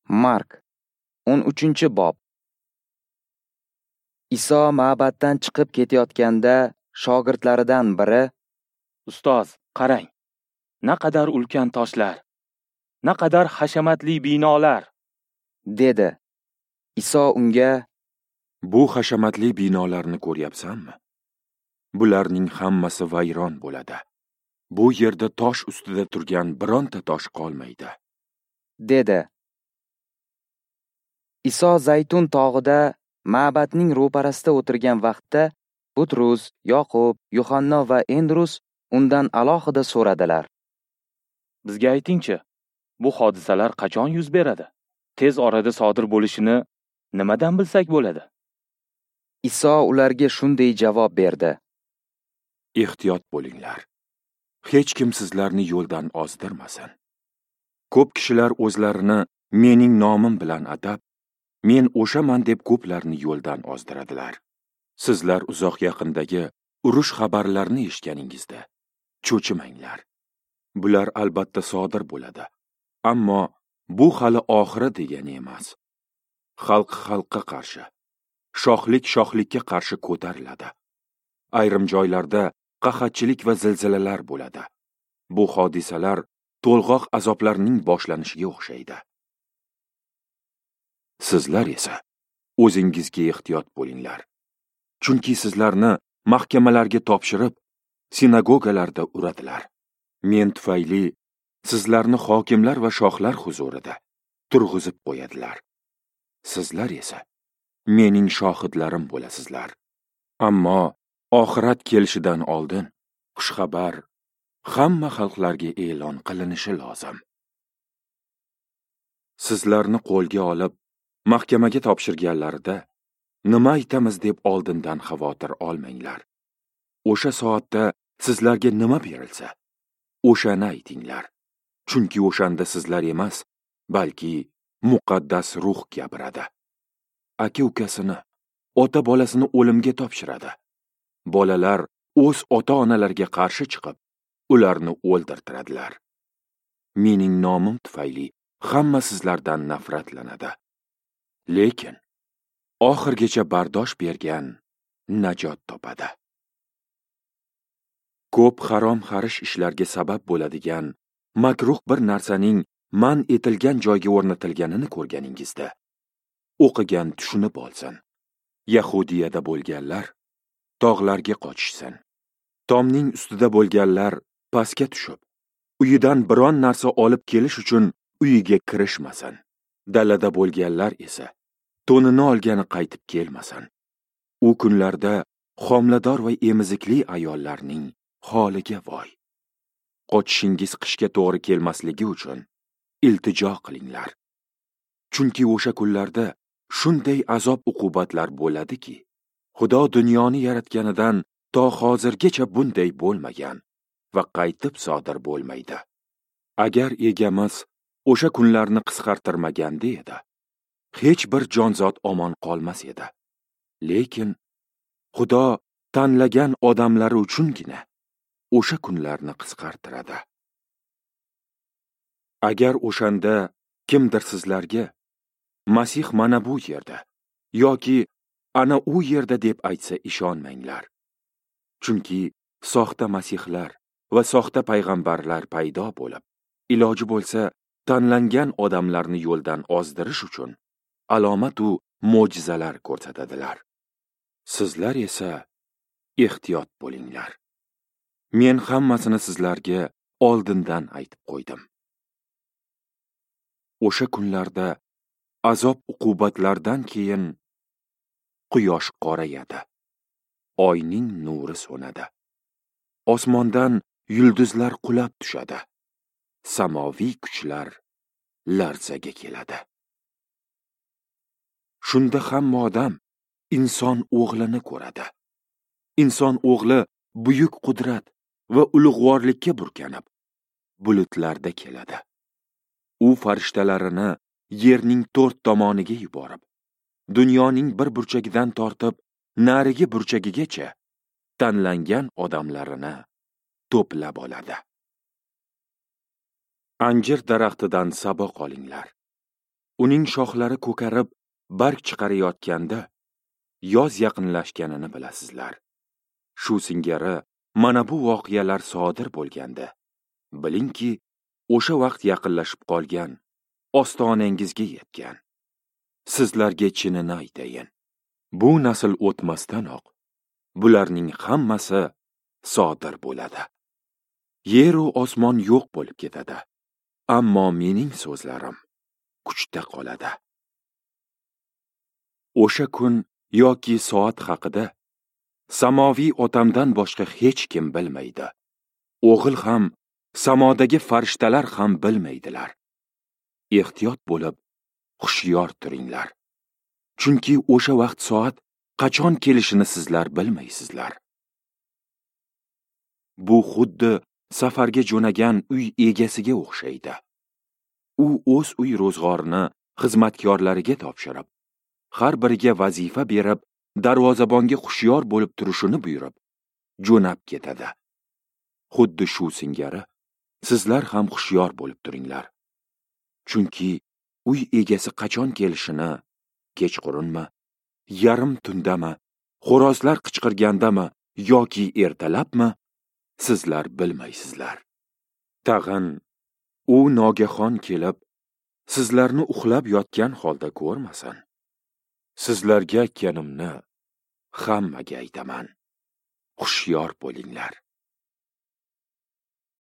Mark 13-bob. Iso ma'batdan chiqib ketayotganda shogirdlaridan biri: "Ustoz, qarang, naqadar ulkan toshlar, naqadar hashamatli binolar!" dedi. Iso unga: "Bu hashamatli binolarni ko'ryapsanmi? Bularning hammasi vayron bo'ladi. Bu yerda tosh ustida turgan bironta tosh qolmaydi", dedi. Iso Zaytun tog'ida ma'batning ro'parasida o'tirgan vaqtda Butrus, Yoqub, Yuhanno va Endrus undan alohida so'radilar: "Bizga aytingchi, bu hodisalar qachon yuz beradi? Tez orada sodir bo'lishini nimadan bilsak bo'ladi?" Iso ularga shunday javob berdi: "Ehtiyot bo'linglar. Hech kim sizlarni yo'ldan ozdirmasin. Ko'p kishilar o'zlarini mening nomim bilan atab, men o'shaman deb ko'plarni yo'ldan ozdiradilar. Sizlar uzoq yaqindagi urush xabarlarini eshitganingizda cho'chimanglar. Bular albatta sodir bo'ladi, ammo bu hali oxiri degani emas. Xalq xalqqa qarshi, shohlik shohlikka qarshi ko'tariladi. Ayrim joylarda qahatchilik va zilzilalar bo'ladi. Bu hodisalar to'lg'oq azoblarning boshlanishiga o'xshaydi. Sizlar esa o'zingizga ehtiyot bo'linglar. Chunki sizlarni mahkamalarga topshirib, sinagogalarda uradilar. Men tufayli sizlarni hokimlar va shohlar huzurida turg'izib qo'yadilar. Sizlar esa mening shohidlarim bo'lasizlar. Ammo oxirat kelishidan oldin xushxabar hamma xalqlarga e'lon qilinishi lozim. Sizlarni qo'lga olib mahkamaga topshirganlarida nima aytamiz deb oldindan xavotir olmanglar. O'sha soatda sizlarga nima berilsa, o'shani aytinglar. Chunki o'shanda sizlar emas, balki muqaddas ruh gapiradi. Aka ukasini, ota bolasini o'limga topshiradi. Bolalar o'z ota-onalariga qarshi chiqib, ularni o'ldirtiradilar. Mening nomim tufayli hamma sizlardan nafratlanadi. Lekin oxirgacha bardosh bergan najot topadi. Ko'p harom xarish ishlarga sabab bo'ladigan makruh bir narsaning man etilgan joyga o'rnatilganini ko'rganingizda, o'qigan tushunib olsin. Yahudiyada bo'lganlar tog'larga qochishsin. Tomning ustida bo'lganlar pastga tushib, uyidan biron narsa olib kelish uchun uyiga kirishmasin. Dalada bo'lganlar esa to'nini olgani qaytib kelmasin. U kunlarda homilador va emizikli ayollarning holiga voy. Qochishingiz qishga to'g'ri kelmasligi uchun iltijo qilinglar. Chunki o'sha kunlarda shunday azob uqubatlar bo'ladiki, Xudo dunyoni yaratganidan to hozirgacha bunday bo'lmagan va qaytib sodir bo'lmaydi. Agar egamiz o'sha kunlarni qisqartirmaganda edi, hech bir jonzot omon qolmas edi. Lekin Xudo tanlagan odamlari uchungina o'sha kunlarni qisqartiradi. Agar o'shanda kimdir sizlarga Masih mana bu yerda yoki ana u yerda deb aytsa ishonmanglar. Chunki soxta masihlar va soxta payg'ambarlar paydo bo'lib, iloji bo'lsa tanlangan odamlarni yo'ldan ozdirish uchun alomatu mo'jizalar ko'rsatadilar. Sizlar esa ehtiyot bo'linglar. Men hammasini sizlarga oldindan aytib qo'ydim. O'sha kunlarda azob uqubatlardan keyin quyosh qorayadi, oyning nuri so'nadi, osmondan yulduzlar qulab tushadi, samoviy kuchlar larzaga keladi. Shunda hamma odam inson o'g'lini ko'radi. Inson o'g'li buyuk qudrat va ulug'vorlikka burkanib, bulutlarda keladi. U farishtalarini yerning to'rt tomoniga yuborib, dunyoning bir burchagidan tortib narigi burchagigacha tanlangan odamlarini to'plab oladi. Anjir daraxtidan saboq olinglar. uning shoxlari ko'karib barg chiqarayotganda yoz yaqinlashganini bilasizlar. Shu singari mana bu voqealar sodir bo'lganda, bilingki, o'sha vaqt yaqinlashib qolgan, ostonangizga yetgan. Sizlarga chinini aytayin, bu nasl o'tmasdanoq bularning hammasi sodir bo'ladi. Yer u osmon yo'q bo'lib ketadi, ammo mening so'zlarim kuchda qoladi. O'sha kun yoki soat haqida samoviy otamdan boshqa hech kim bilmaydi. O'g'il ham, samodagi farishtalar ham bilmaydilar. Ehtiyot bo'lib, hushyor turinglar. Chunki o'sha vaqt soat qachon kelishini sizlar bilmaysizlar. Bu xuddi safarga jo'nagan uy egasiga o'xshaydi. U o'z uy ro'zg'orini xizmatkorlariga topshirib, har biriga vazifa berib, darvozabonga hushyor bo'lib turishini buyurib, jo'nab ketadi. Xuddi shu singari sizlar ham hushyor bo'lib turinglar. Chunki uy egasi qachon kelishini, kechqurunmi, yarim tundami, xo'rozlar qichqirgandami yoki ertalabmi, sizlar bilmaysizlar. Tag'in u nogahon kelib, sizlarni uxlab yotgan holda ko'rmasin. Sizlarga aytganimni hammaga aytaman. Hushyor bo'linglar.